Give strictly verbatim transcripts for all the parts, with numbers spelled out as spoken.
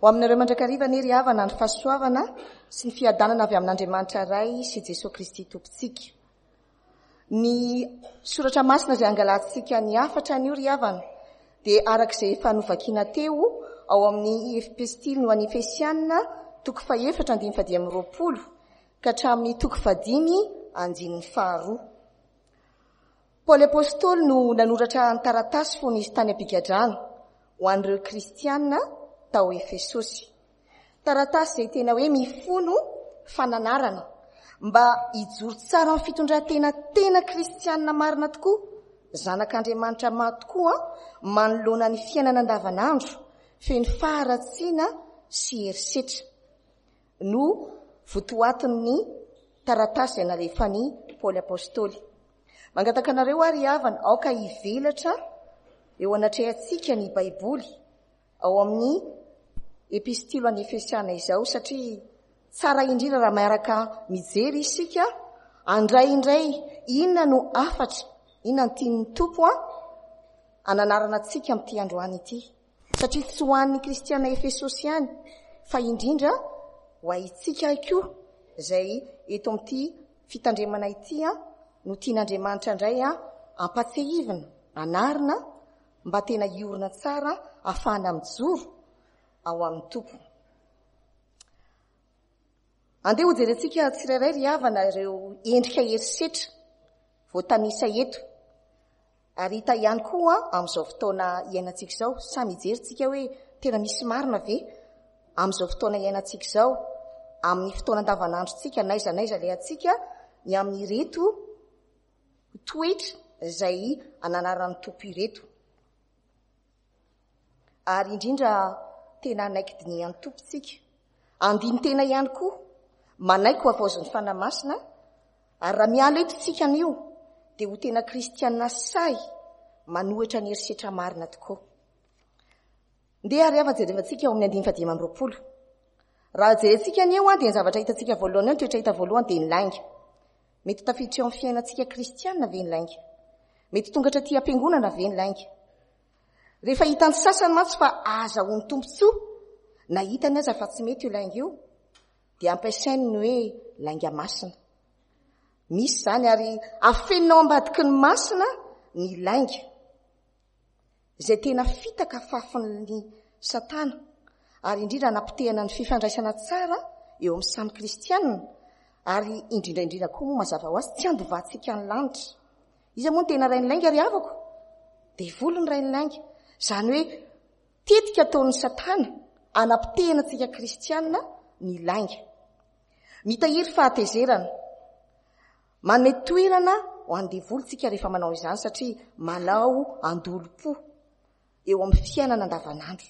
Ho aminareo mandrakariva anie ry havana ny fahasoavana sy ny fiadanana avy amin'Andriamanitra Ray sy Jesoa Kristy Tompontsika. Ny soratra masina izay angalantsika ny hafatra anio ry havana dia araka izay efa novakiana teo ao amin'ny epistily ho an'ny Efesiana toko fahefatra andininy fahadimy amby roapolo ka hatramin'ny toko fahadimy andininy faharoa. Paoly Apostoly no nanoratra ny taratasy fony izy tany am-pigadrana ho an'ireo kristiana tao Efesosy. Taratasy izay tena hoe mifono fananarana mba hijoro tsara amin'ny fitondran-tena tena kristiana marina tokoa, zanak'Andriamanitra marina tokoa manoloana ny fiainana andavanandro feno faharatsiana sy herisetra no votoatin'ny taratasy izay nalefan'i Paoly Apostoly. Mangataka anareo ary havana aoka hivelatra eo anatrehantsika ny Baiboly ao amin'ny epistily ho an'ny Efesiana izao, satria tsara indrindra raha miaraka mijery isika handray indray inona no hafatra, inona no tian'ny Tompo a hananarana antsika amin'ity androany ity, satria tsy ho an'ny kristiana Efesosy ihany fa indrindra ho antsika koa izay eto amin'ity fitandremana ity a no tian'Andriamanitra indray a ampatsiahivina, anarina mba tena hiorina tsara ahafahana mijoro ao amin'ny Tompo. Andeha ho jerentsika tsirairay ry havana ireo endrika herisetra voatanisa eto ary hita ihany koa amin'izao fotoana iainantsika izao. Samy hijery hoe tena misy marina ve amin'izao fotoana iainantsika izao, amin'ny fotoana andavanandrontsika n'aiza n'aiza alehantsika, ny amin'ireto toetra izay ananaran'ny Tompo ireto. Ary indrindra tena hanaiky dinihan'ny Tompo tsika, andinin-tena ihany koa, manaiky ho havaozin'ny Fanahy Masina, ary raha miala eto tsika anio dia ho tena kristiana sahy manohitra ny herisetra marina tokoa. Ndeha ary hava jerevantsika ao amin'ny andininy fahadimy amby roapolo. Raha jerentsika anio dia ny zavatra hitantsika voalohany eo, ny toetra hita voalohany dia ny lainga. Mety tafiditra eo amin'ny fiainantsika kristiana ve ny lainga? Mety tonga hatraty am-piangonana ve ny lainga? Rehefa hitan'ny sasany mantsy fa ahazahoany tombontsoa, na hitany aza fa tsy mety io lainga io, dia ampiasainy ny hoe lainga masina. Misy izany ary afenina ao ambadiky ny masina ny lainga, izay tena fitaka fafin'ny Satana, ary indrindra anapotehana ny fifandraisana tsara eo amin'ny samy kristianina, ary indrindra indrindra koa moa mazava ho azy tsy handovantsika ny lanitra. Iza moa no tena rain'ny lainga ry havako? Devoly ny rain'ny lainga. Izany hoe tetika ataon'ny Satana anapotehana antsika kristianina ny lainga. Mitahiry fahatezerana. Manome toerana ho an'ny devoly tsika rehefa manao izany, satria manao andolom-po eo amin'ny fiainana andavanandro.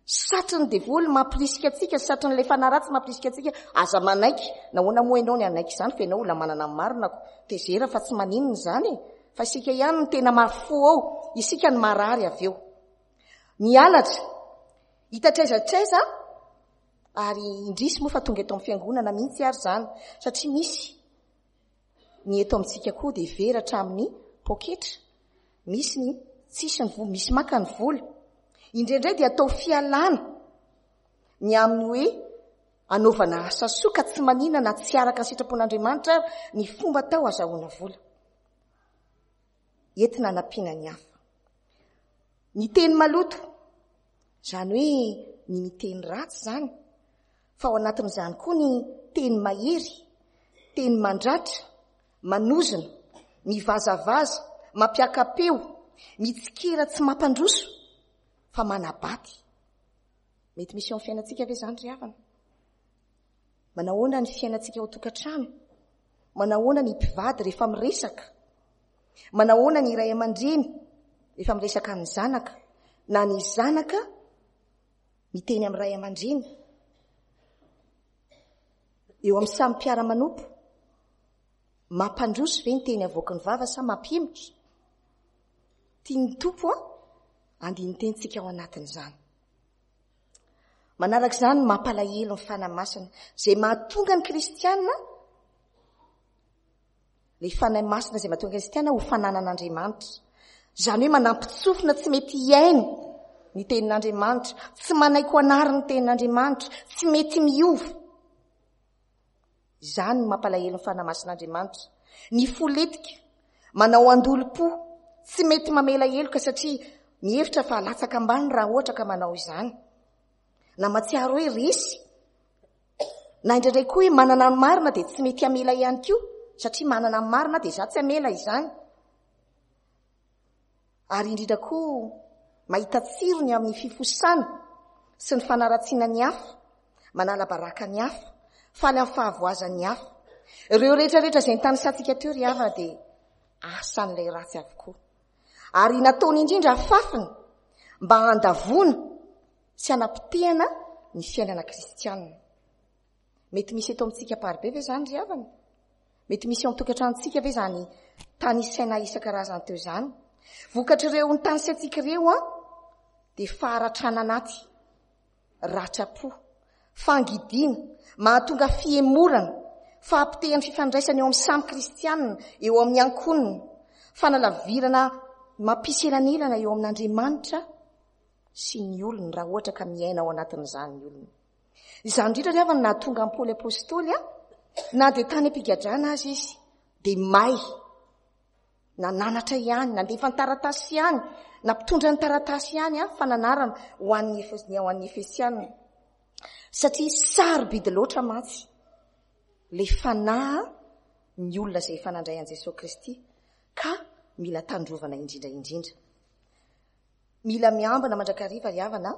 Satrin'ny devoly mampirisika antsika, satrin'ilay fanahy ratsy mampirisika antsika, aza manaiky. Nahoana moa ianao ny hanaiky izany fa ianao olona manana ny marina ko? Tezera fa tsy maninona izany e. Fa isika ihany no tena mafy ao, isika no marary avy eo. Ny halatra, hita hatraiza hatraiza, ary indrisy moa fa tonga eto amin'ny fiangonana mihitsy ary izany, satria misy ny eto amintsika koa dia very hatramin'ny poketra, misy ny tsisy ny vola, misy maka ny vola. Indraindray dia atao fialana ny amin'ny hoe anaovana asa soa ka tsy manina na tsy araka ny sitrapon'Andriamanitra ary ny fomba atao azahoana vola. Entina hanampiana ny hafa. Ny teny maloto, izany hoe ny miteny ratsy izany, fa ao anatin'izany koa ny teny mahery, teny mandratra, manozona, mivazavaza, mampiaka-peo, mitsikera tsy mampandroso, fa manabaty. Mety misy eo amin'ny fiainantsika ve izany ry havana? Manahoana ny fiainantsika ao an-tokantrano? Manahoana ny mpivady rehefa miresaka? Manahoana ny ray aman-dreny rehefa miresaka amin'ny zanaka? Na ny zanaka miteny amin'ny ray aman-dreny? Eo amin'ny samy mpiara-manompo, mampandroso ve ny teny avoaky ny vava sa mampihemotra? Tian'ny Tompo a andinin-tenintsika ao anatin'izany. Manaraka izany mampalahelo ny Fanahy Masina, izay mahatonga ny kristiana, ilay Fanahy Masina izay mahatonga ny kristiana ho fananan'Andriamanitra. Izany hoe manampitsofina tsy mety hiaino ny tenin'Andriamanitra, tsy manaiky ho anary ny tenin'Andriamanitra, tsy mety miova. Izany no mampalahelo ny Fanahy Masin'Andriamanitra. Ny fo letika, manao andolom-po, tsy mety mamela heloka satria mihevitra fa latsaka ambany raha ohatra ka manao izany. Na mahatsiaro hoe resy, na indraindray koa hoe manana ny marina dia tsy mety hamela ihany koa, satria manana ny marina dia izaho tsy hamela izany. Ary indrindra koa mahita tsirony amin'ny fifosana sy ny fanaratsiana ny hafa, manala baraka ny hafa, faly amin'ny fahavoazan'ny hafa. Ireo rehetrarehetra izay nitanisantsika teo ry havana dia asan'ilay ratsy avokoa. Ary nataony indrindra afafiny mba handavoana sy hanapotehana ny fiainana kristianina. Mety misy eto amintsika Amparibe ve izany ry havana? Mety misy eo amin'ny tokantranontsika ve izany tanisaina isan-karazany teo izany? Vokatr'ireo nitanisaintsika ireo an, dia faharatrana anaty, ratram-po, fangidiana, mahatonga fihemorana, fahapotehan'ny fifandraisana eo amin'ny samy kristianina, eo amin'ny ankohonana, fanalavirana mampisy elanelana eo amin'Andriamanitra sy ny olony raha ohatra ka miaina ao anatin'izany ny olona. Izany indrindra ry havana no nahatonga an'i Paoly Apostoly a, na dia tany am-pigadrana aza izy, dia may, nananatra ihany, nandefa ny taratasy ihany, nampitondra ny taratasy ihany a, fananarana ho an'ny Efes-, ho an'ny Efesianina. Satria sarobidy loatra mantsy ilay fanahy ny olona izay efa nandray an'i Jesoa Kristy, ka mila tandrovana indrindra indrindra. Mila miambina mandrakariva ry havana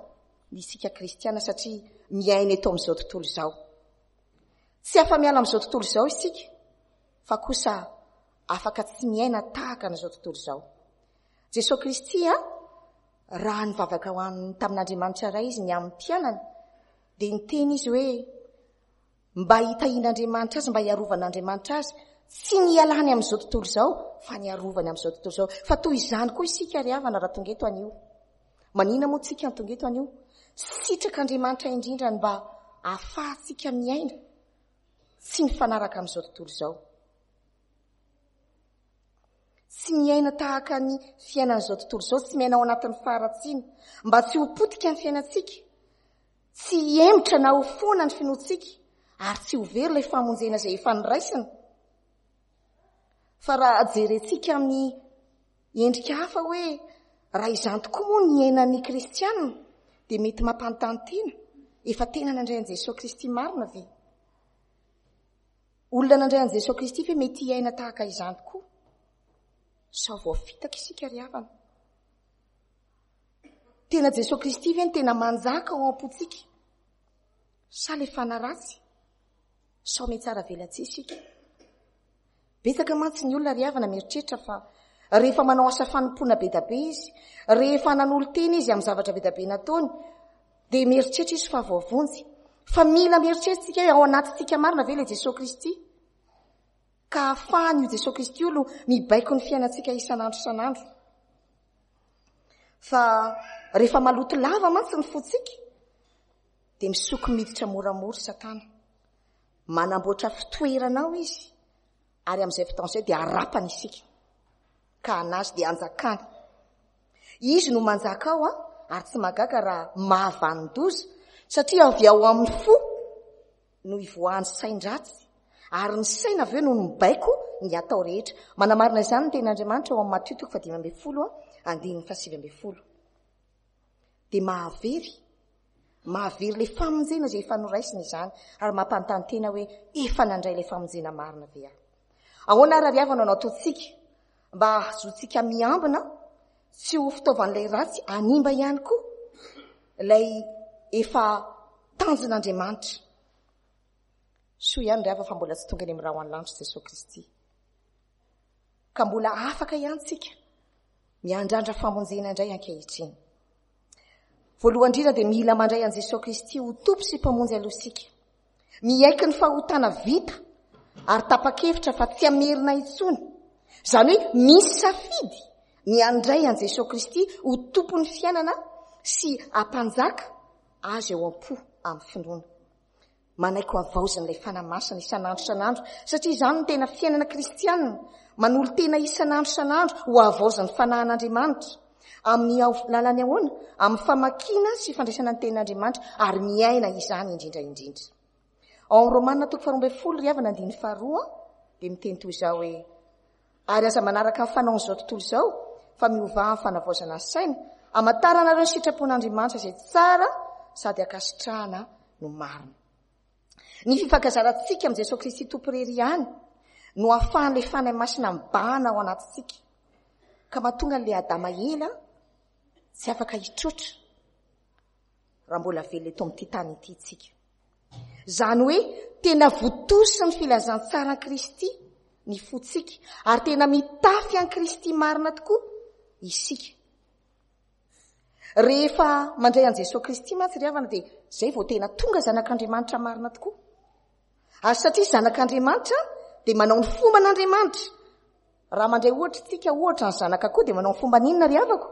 ny isika kristiana satria miaina eto amin'izao tontolo izao. Tsy afa-miala amin'izao tontolo izao isika, fa kosa afaka tsy miaina tahaka an'izao tontolo izao. Jesoa Kristy a, raha nivavaka ho an'ny tamin'Andriamanitra Ray izy ny amin'ny mpianany, dia niteny izy hoe mba hitahian'Andriamanitra azy, mba hiarovan'Andriamanitra azy, tsy ny hialany amin'izao tontolo izao, fa ny hiarovany amin'izao tontolo izao. Fa toy izany koa isika ry havana raha tonga eto anio. Manina moa tsika ny tonga eto anio? Sitrak'Andriamanitra indrindra ny mba ahafahantsika miaina tsy mifanaraka amin'izao tontolo izao. Tsy miaina tahaka ny fiainan'izao tontolo izao, tsy miaina ao anatin'ny faharatsiana, mba tsy ho potika ny fiainantsika, tsy hihemotra na ho foana ny finoantsika, ary tsy ho very ilay famonjena izay efa noraisina. Fa raha jerentsika amin'ny endrika hafa hoe raha izany tokoa moa ny iainan'ny kristianina, dia mety mampanontany tena, efa tena nandray an'i Jesoa Kristy marina ve? Olona nandray an'i Jesoa Kristy ve mety hiaina tahaka izany tokoa? Sao voafitaka isika ry havana? Tena Jesoa Kristy ve ny tena manjaka ao am-pontsika? Sa ilay fanahy ratsy? Sao mihatsara velatsihy isika? Betsaka mantsy ny olona ry havana mieritreritra fa rehefa manao asa fanompoana be dia be izy, rehefa nanolo-tena izy amin'ny zavatra be dia be nataony, dia mieritreritra izy fa voavonjy. Fa mila mieritreritra isika hoe ao anatintsika marina ve ilay Jesoa Kristy? Ka ahafahany io Jesoa Kristy io no mibaiko ny fiainantsika isan'andro isan'andro. Fa rehefa maloto lava mantsy ny fontsika, dia misoko miditra moramora Satana. Manamboatra fitoerana ao izy, ary amin'izay fotoana izay dia harapany isika. Ka anazy dia anjakany. Izy no manjaka ao, ary tsy mahagaga raha mahavanon-doza, satria avy ao amin'ny fo no ivoahan'ny sain-dratsy, ary ny saina avy eo no mibaiko ny atao rehetra. Manamarina izany ny tenin'Andriamanitra ao amin'ny Matio toko fahadimy ambin'ny folo, andininy fahasivy ambin'ny folo. Dia mahavery, mahavery ilay famonjena izay efa noraisina izany, ary mampanontany tena hoe efa nandray ilay famonjena marina ve aho? Ahoana ary ry havana no ataontsika mba hahazoantsika miambina tsy ho fitaovan'ilay ratsy hanimba ihany koa ilay efa tanjon'Andriamanitra? Soa ihany ry havana fa mbola tsy tonga any amin'ny rahona lanitra Jesoa Kristy. Ka mbola afaka ihany tsika miandrandra famonjena indray ankehitriny. Voalohany indrindra dia mila mandray an'i Jesoa Kristy ho Tompo sy Mpamonjy aloha isika. Miaiky ny fahotana vita ary tapa-kevitra fa tsy hamerina intsony. Izany hoe misy safidy ny handray an'i Jesoa Kristy ho Tompon'ny fiainana sy hampanjaka azy ao am-po amin'ny finoana. Manaiky ho havaozin'ilay Fanahy Masina isan'andro isan'andro, satria izany no tena fiainana kristianina, manolo-tena isan'andro isan'andro ho havaozin'ny Fanahin'Andriamanitra. Amin'ny lalany ahoana? Amin'ny famakiana sy fandraisana ny tenin'Andriamanitra ary miaina izany indrindra indrindra. Ao amin'ny Romana toko faharoa ambin'ny folo ry havana andininy faharoa dia miteny toy izao hoe: ary aza manaraka ny fanaon'izao tontolo izao fa miovà amin'ny fanavaozana ny saina, hamantaranareo ny sitrapon'Andriamanitra izay tsara sady ankasitrahana no marina. Ny fifankazarantsika amin'i Jesoa Kristy Tompo irery ihany no ahafahan'ilay Fanahy Masina mibahana ao anatintsika, ka mahatonga an'ilay Adama ela tsy afaka hitroatra raha mbola velona eto amin'ity tany ity isika. Izany hoe tena votosin'ny filazantsaran'i Kristy ny fontsika ary tena mitafy an'i Kristy marina tokoa isika. Rehefa mandray an'i Jesoa Kristy mantsy ry havana dia izay vao tena tonga zanak'Andriamanitra marina tokoa. Ary satria zanak'Andriamanitra dia manao ny fomban'Andriamanitra. Raha mandray ohatra isika, ohatra ny zanak'akoho dia manao ny fomban'inona ry havako?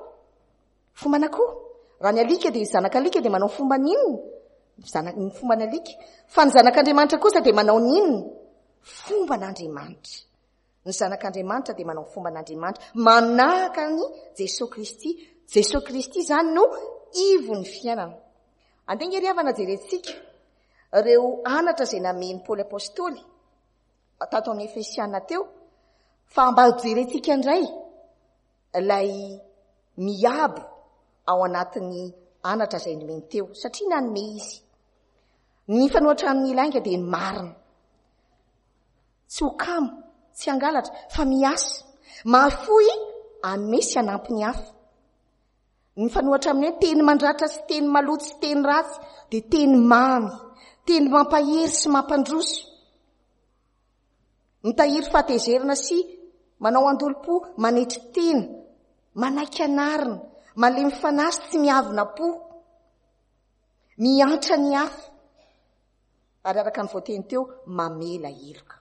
Fomban'akoho. Raha ny alika dia zanak'alika dia manao ny fomban'inona? Zana-, ny fomban'alika. Fa ny zanak'Andriamanitra kosa dia manao ny inona? Fomban'Andriamanitra. Ny zanak'Andriamanitra dia manao ny fomban'Andriamanitra, manahaka an'i Jesoa Kristy. Jesoa Kristy izany no ivon'ny fiainana. Andeha nge ry havana jerentsika ireo anatra izay namen'i Paoly Apostoly tato amin'ny Efesiana teo, fa mba jerentsika indray ilay miabo ao anatin'ny anatra izay nomeny teo, satria nanome izy. Ny fanoatra amin'ny lainga dia ny marina. Tsy ho kamo, tsy hangalatra, fa miasa. Mahafoy hanome sy hanampy ny hafa. Ny fanoatra amin'ny hoe teny mandratra sy teny maloto sy teny ratsy dia teny mamy, teny mampahery sy mampandroso. Mitahiry fahatezerana sy manao andolom-po, manetry tena, manaiky anarina, malemy fanahy sy tsy miavona po, miantra ny hafa, ary araka ny voateny teo, mamela heloka.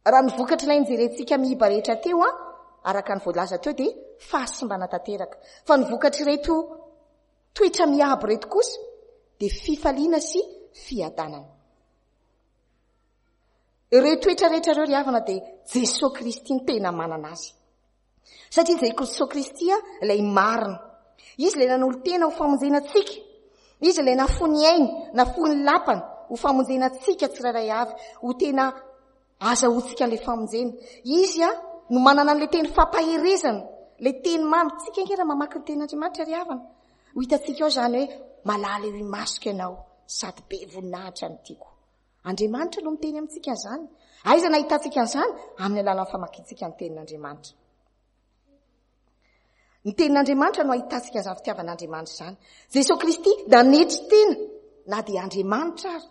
Raha ny vokatr'ilay nijerentsika miiba rehetra teo, araka ny voalaza teo, dia fahasimbana tanteraka. Fa ny vokatr'ireto toetra miabo ireto kosa dia fifaliana sy fiadanana. Ireo toetra rehetra ireo ry havana dia Jesoa Kristy no tena manana azy. Satria Jesoa Kristy ilay marina. Izy ilay nanolo-tena ho famonjena antsika. Izy ilay nafoy ny ainy, nafoy ny lapany ho famonjena antsika tsirairay avy, ho tena azahoantsika an'ilay famonjena. Izy no manana an'ilay teny fampaherezana, ilay teny mamy. Tsika ange raha mamaky ny tenin'Andriamanitra ry havana, ho hitantsika ao izany hoe malala eo imasoko ianao sady be voninahitra ny tiako. Andriamanitra no miteny amintsika an'izany. Aiza nahitantsika an'izany? Amin'ny alalan'ny famakiantsika ny tenin'Andriamanitra. Ny tenin'Andriamanitra no ahitantsika an'izany fitiavan'Andriamanitra izany. Jesoa Kristy nanetry tena na dia Andriamanitra ary.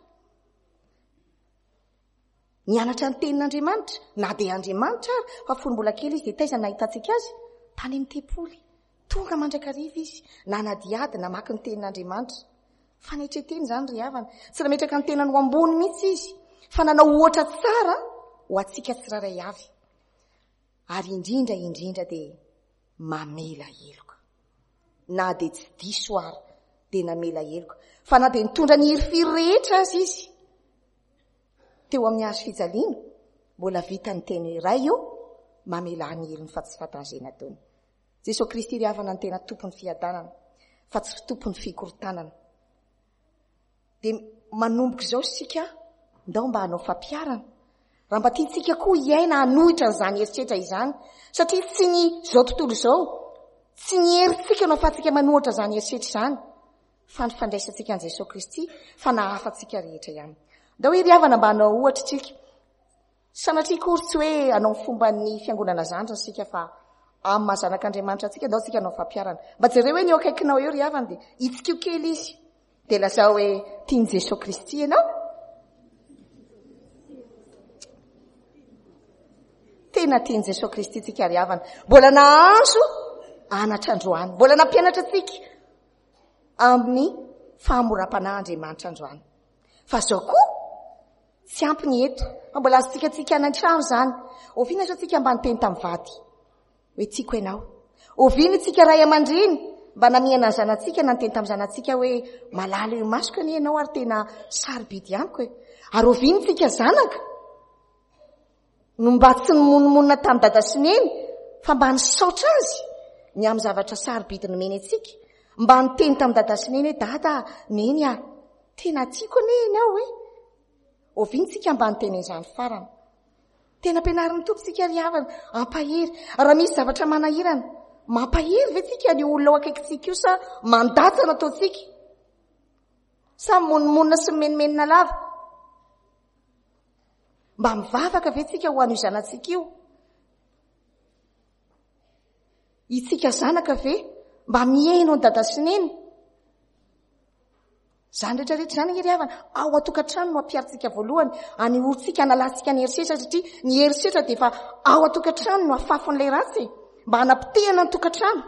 Nianatra ny tenin'Andriamanitra na dia Andriamanitra ary, fa fony mbola kely izy dia taiza nahitantsika azy? Tany amin'ny tempoly. Tonga mandrakariva izy, nanadihady, namaky ny tenin'Andriamanitra. Fanetren-tena izany ry havana. Tsy nametraka ny tenany ho ambony mihitsy izy, fa nanao ohatra tsara ho antsika tsirairay avy. Ary indrindra indrindra dia mamela heloka. Na dia tsy diso ary dia namela heloka. Fa na dia nitondra ny hirifiry rehetra aza izy teo amin'ny hazo fijaliana, mbola vita ny teny iray io, mamela ny helony fa tsy fantany izay nataony. Jesoa Kristy ry havana ny tena tompon'ny fiadanana, fa tsy tompon'ny fikorontanana. Dia manomboka izao isika, ndao mba hanao fampiharana. Raha mba tiantsika koa hiaina hanohitra an'izany eritreritra izany, satria tsy ny izao tontolo izao, tsy ny herintsika no ahafahantsika manohitra izany eritreritra izany, fa ny fandraisantsika an'i Jesoa Kristy, fa nahafantsika rehetra ihany. Ndao ry havana mba hanao ohatra isika. Sanatria akory tsy hoe hanao ny fomban'ny fiangonana zandriny isika, fa amin'ny maha zanak'Andriamanitra antsika, ndao isika hanao fampiharana. Mba jereo hoe ny eo akaikinao eo ry havana, dia hitsikio kely izy. Dia lazao hoe tian'i Jesoa Kristy ianao. Tena tian'i Jesoa Kristy tsika ry havana. Mbola nahazo anatra androany. Mbola nampianatra antsika amin'ny fahamoram-panahy Andriamanitra androany. Fa zao koa tsy ampy ny eto. Fa mbola azontsika tsika any an-trano izany. Oviana izao tsika mba niteny tamin'ny vady hoe tiako ianao? Oviana isika ray aman-dreny mba namihana ny zanatsika na niteny tamin'ny zanatsika hoe malala eo imasoko anie ianao ary tena sarobidy amiko e. Ary oviana isika zanaka no mba tsy nimonomonona tamin'ny dada sy neny fa mba nisaotra azy ny amin'ny zavatra sarobidy nomeny antsika? Mba niteny tamin'i Dada sy Neny hoe, Dada, Neny a, tena tiako anie ianao e. Oviana tsika mba niteny an'izany farany? Tena ampianarin'ny Tompo tsika ry havana, hampahery. Raha misy zavatra manahirana, mampahery ve tsika ny olona ao akaikintsika io sa mandatsa no ataontsika? Sa mimonomonona sy mimenomenona lava? Mba mivavaka ve tsika ho an'io zanatsika io? Itsika zanaka ve mba mihaino an'i Dada sy Neny? Izany rehetra rehetra izany ange ry havana, ao an-tokantrano no ampiharintsika voalohany, anehoantsika, analantsika ny herisetra, satria ny herisetra dia efa ao an-tokantrano no afafon'ilay ratsy e, mba hanapotehana ny tokantrano.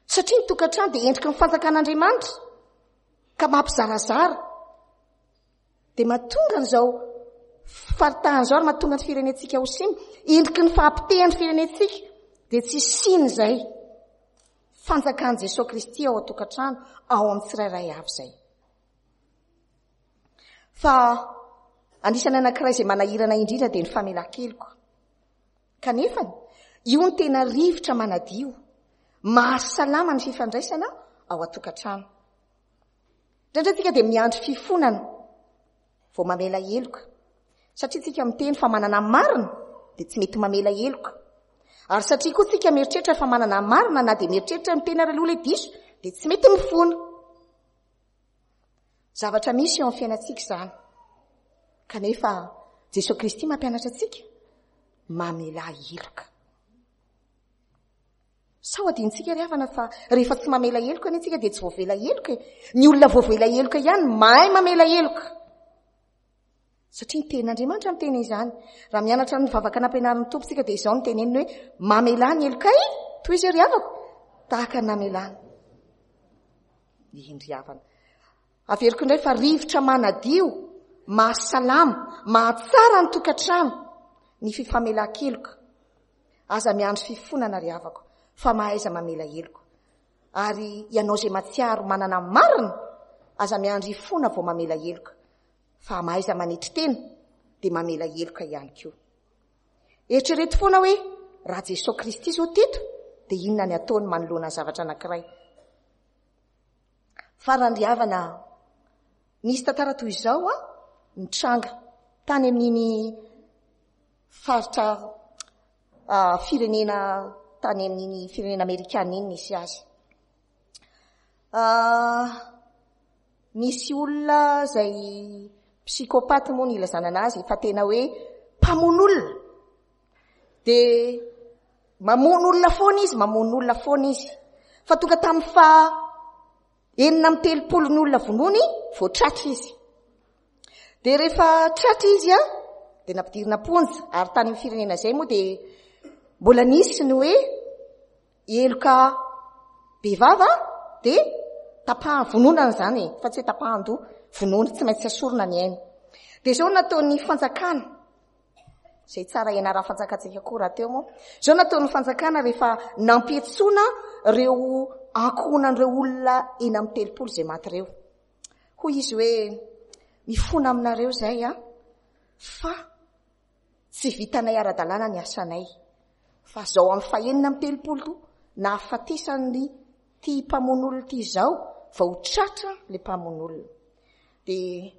Satria ny tokantrano dia endriky ny fanjakan'Andriamanitra, ka mampizarazara. Dia mahatonga an'izao faritahana izao ary mahatonga ny firenentsika ho siny, endriky ny fahapotehan'ny firenentsika, dia tsy siny izay. Fanjakan'i Jesoa Kristy ao an-tokantrano, ao amin'ny tsirairay avy izay. Fa anisan'ny anankiray izay manahirana indrindra dia ny famelan-keloka. Kanefa, io no tena rivotra manadio, mahasalama ny fifandraisana ao an-tokantrano. Indraindray tsika dia miandry fifonana vao mamela heloka. Satria tsika miteny fa manana marina dia tsy mety mamela heloka. Ary satria koa tsika mieritreritra fa manana marina na dia mieritreritra miteny ary aloha ilay diso dia tsy mety mifona. Zavatra misy eo amin'ny fiainantsika izany. Kanefa Jesoa Kristy mampianatra antsika mamela heloka. Sao adinontsika ry havana fa rehefa tsy mamela heloka anie tsika dia tsy voavela heloka e. Ny olona voavela heloka ihany mahay mamela heloka. Satria ny tenin'Andriamanitra miteny izany. Raha mianatra ny vavaka nampianarin'ny Tompo tsika dia izao no teneniny hoe mamelà ny helokay, toy izay ry havako, tahaka ny namelàny. Eny ry havana. Averiko indray fa rivotra manadio, mahasalama, mahatsara ny tokantrano ny fifamelan-keloka. Aza miandry fifonana ry havako, fa mahaiza mamela heloka. Ary ianao izay mahatsiaro manana marina, aza miandry hifona vao mamela heloka, fa mahaiza manetry tena dia mamela heloka ihany koa. Eritrereto foana hoe raha Jesoa Kristy izao teto dia inona ny ataony manoloana ny zavatra anankiray. Farany ry havana, nisy tantara toy izao nitranga tany amin'iny faritra firenena tany amin'iny firenena amerikana iny nisy azy. Nisy olona izay psychopathe moa ny ilazana anazy, fa tena hoe mpamono olona. Dia mamono olona foana izy, mamono olona foana izy. Fa tonga tamin'ny faha enina amby telopolo ny olona vonoiny, vao tratra izy. Dia rehefa tratra izy a, dia nampidirina am-ponja, ary tany amin'ny firenena izay moa dia mbola nisy ny hoe heloka bevava dia tapahan-, vononana izany e, fa tsy hoe tapahan-doha, vonoana, tsy maintsy asorina ny aina. Dia izao no nataon'ny fanjakana, izay tsara ianaran'ny fanjakantsika koa rahateo moa, izao no nataon'ny fanjakana rehefa nampiantsoana ireo ankohonan'ireo olona enina amby telopolo izay maty ireo. Hoy izy hoe, mifona aminareo izay a, fa tsy vitanay ara-dalàna ny asanay. Fa izao amin'ny fahenina amby telopolo nahafatesan'ny ty mpamono olona ty izao vao tratra ilay mpamono olona. Dia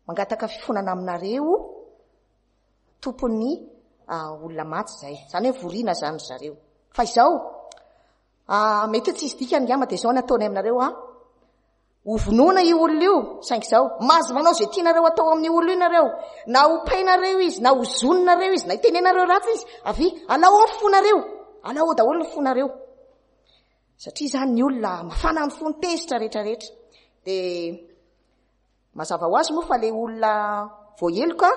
mangataka fifonana aminareo tompon'ny olona maty izay. Izany hoe voriana izany ry zareo. Fa izao, mety hoe tsisy dikany angamba, dia izao ny ataony aminareo a. Ho vonoina io olona io, saingy izao, mahazo manao izay tianareo atao amin'io olona io nareo. Na ho painareo izy, na ho zoninareo izy, na hitenenareo ratsy izy. Avia, alao ao ny fonareo. Alao ao daholo ny fonareo. Satria izany ny olona mafana ny fony, tezitra rehetrarehetra. Dia mazava ho azy moa fa ilay olona voaheloka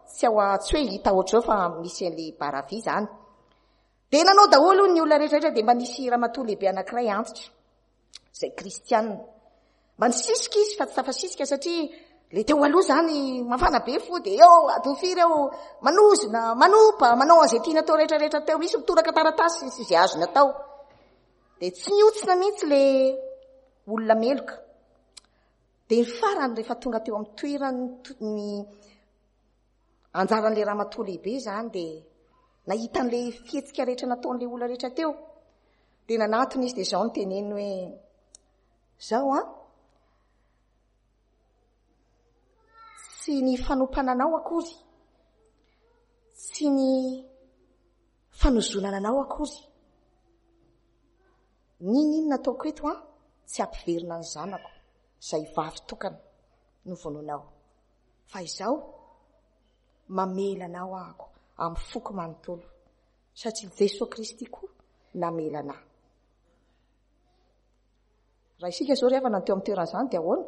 tsy ao a-, tsy hoe hita ohatr'izao fa misy an'ilay baravy izany. Dia nanao daholo ny olona rehetrarehetra, dia mba nisy ramatoa lehibe anankiray antitra, izay kristianina. Mba nisisika izy fa tsy tafasisika satria le teo aloha izany mafana be fo, dia eo adiny firy eo manozona, manompa, manao an'izay tiana atao rehetrarehetra teo, misy mitoraka taratasy sy izay azony atao. Dia tsy niotsina mihitsy le olona meloka. Dia ny farany rehefa tonga teo amin'ny toerany ny anjaran'ilay ramatoa lehibe izany, dia nahita an'ilay fihetsika rehetra nataon'ilay olona rehetra teo. Dia nanatona izy dia izao no teneniny hoe, Izao an, tsy ny fanompana anao akory, tsy ny fanozonana anao akory, n'inon'inona ataoko eto an, tsy hampiverina ny zanako izay vavy tokana novonoinao. Fa izao, mamela anao ahako amin'ny foko manontolo, satria Jesoa Kristy koa namela anà. Raha isika izao ry havana no teo amin'ny toeran'izany dia ahoana?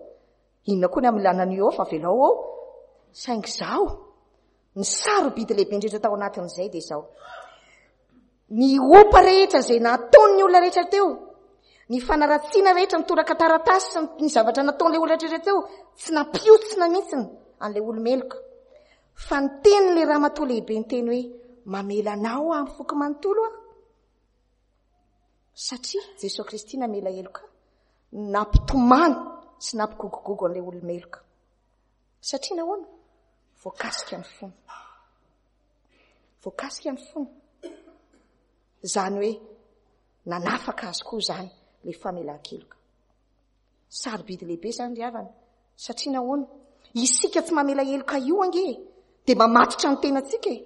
Inona koa ny hamelana an'io eo fa avelao ao. Saingy izaho, ny sarobidy lehibe indrindra tao anatin'izay dia izao. Ny opa rehetra izay nataon'ny olona rehetra teo, ny fanaratsiana rehetra, ny toraka taratasy sy ny zavatra nataon'ilay olona rehetra teo, tsy nampiotsina mihitsy an'ilay olo-meloka. Fa ny tenin'ilay ramatoa lehibe niteny hoe, mamela anao aho amin'ny foko manontolo aho. Satria Jesoa Kristy namela heloka, nampitomany sy nampigogogogo an'ilay olo-meloka. Satria nahoana? Voakasika ny fony. Voakasika ny fony. Izany hoe nanafaka azy koa izany ilay famelan-keloka. Sarobidy lehibe izany ry havana. Satria nahoana? Isika tsy mamela heloka io ange dia mamatotra ny tenantsika e.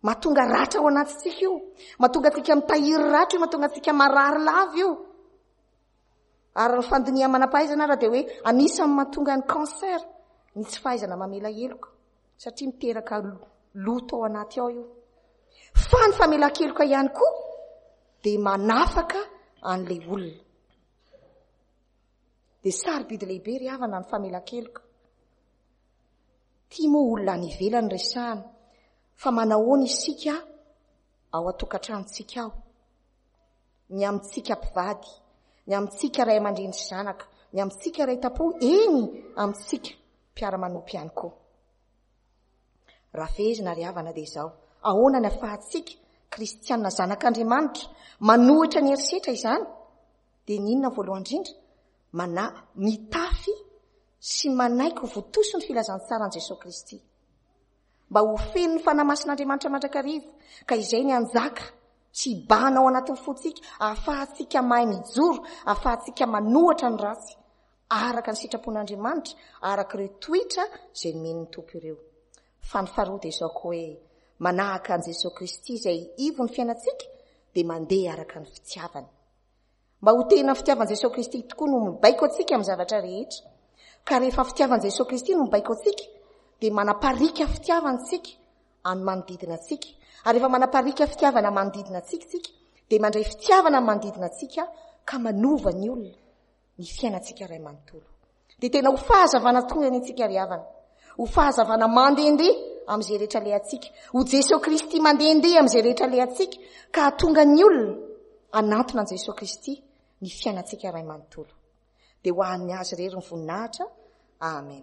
Mahatonga ratra ao anatintsika io. Mahatonga antsika mitahiry ratra io, mahatonga antsika marary lava io. Ary ny fandinihan'ny manam-pahaizana ara dia hoe anisan'ny mahatonga ny cancer ny tsy fahaizana mamela heloka, satria miteraka loto ao anaty ao io. Fa ny famelan-keloka ihany koa dia manafaka an'ilay olona. Dia sarobidy lehibe ry havana ny famelan-keloka. Ity moa olona any ivelany resahana, fa manahoana isika ao an-tokantranontsika ao? Ny amintsika mpivady, ny amintsika ray aman-dreny sy zanaka, ny amintsika ray tam-po, eny amintsika mpiara-manompo ihany koa. Raha fehezina ry havana dia izao, ahoana ny afahantsika kristiana zanak'Andriamanitra manohitra ny herisetra izany? Dia ny inona voalohany indrindra? Mana, mitafy sy manaiky ho votoso ny filazantsaran'i Jesoa Kristy. Mba ho feno ny Fanahy Masin'Andriamanitra mandrakariva, ka izay ny hanjaka sy hibahana ao anatin'ny fontsika, ahafahantsika mahay mijoro, ahafahantsika manohatra ny ratsy, araka ny sitrapon'Andriamanitra, araka ireo toetra izay nomen'ny Tompo ireo. Fa ny faharoa dia izao koa hoe, manahaka an'i Jesoa Kristy izay ivon'ny fiainantsika, dia mandeha araka ny fitiavany. Mba ho tena fitiavan'i Jesoa Kristy tokoa no mibaiko antsika amin'ny zavatra rehetra. Ka rehefa fitiavan'i Jesoa Kristy no mibaiko antsika, dia manapariaka fitiavana isika amin'ny manodidina antsika. Ary rehefa manapariaka fitiavana manodidina antsika isika, dia mandray fitiavana amin'ny manodidina antsika ka manova ny olona, ny fiainantsika iray manontolo. Dia tena ho fahazavana tokoa ny antsika ry havana. Ho fahazavana mandehandeha amin'izay rehetra alehantsika. Ho Jesoa Kristy mandehandeha amin'izay rehetra alehantsika ka hahatonga ny olona hanantona an'i Jesoa Kristy ny fiainantsika iray manontolo. Dia ho an'ny Azy irery ny voninahitra. Amen.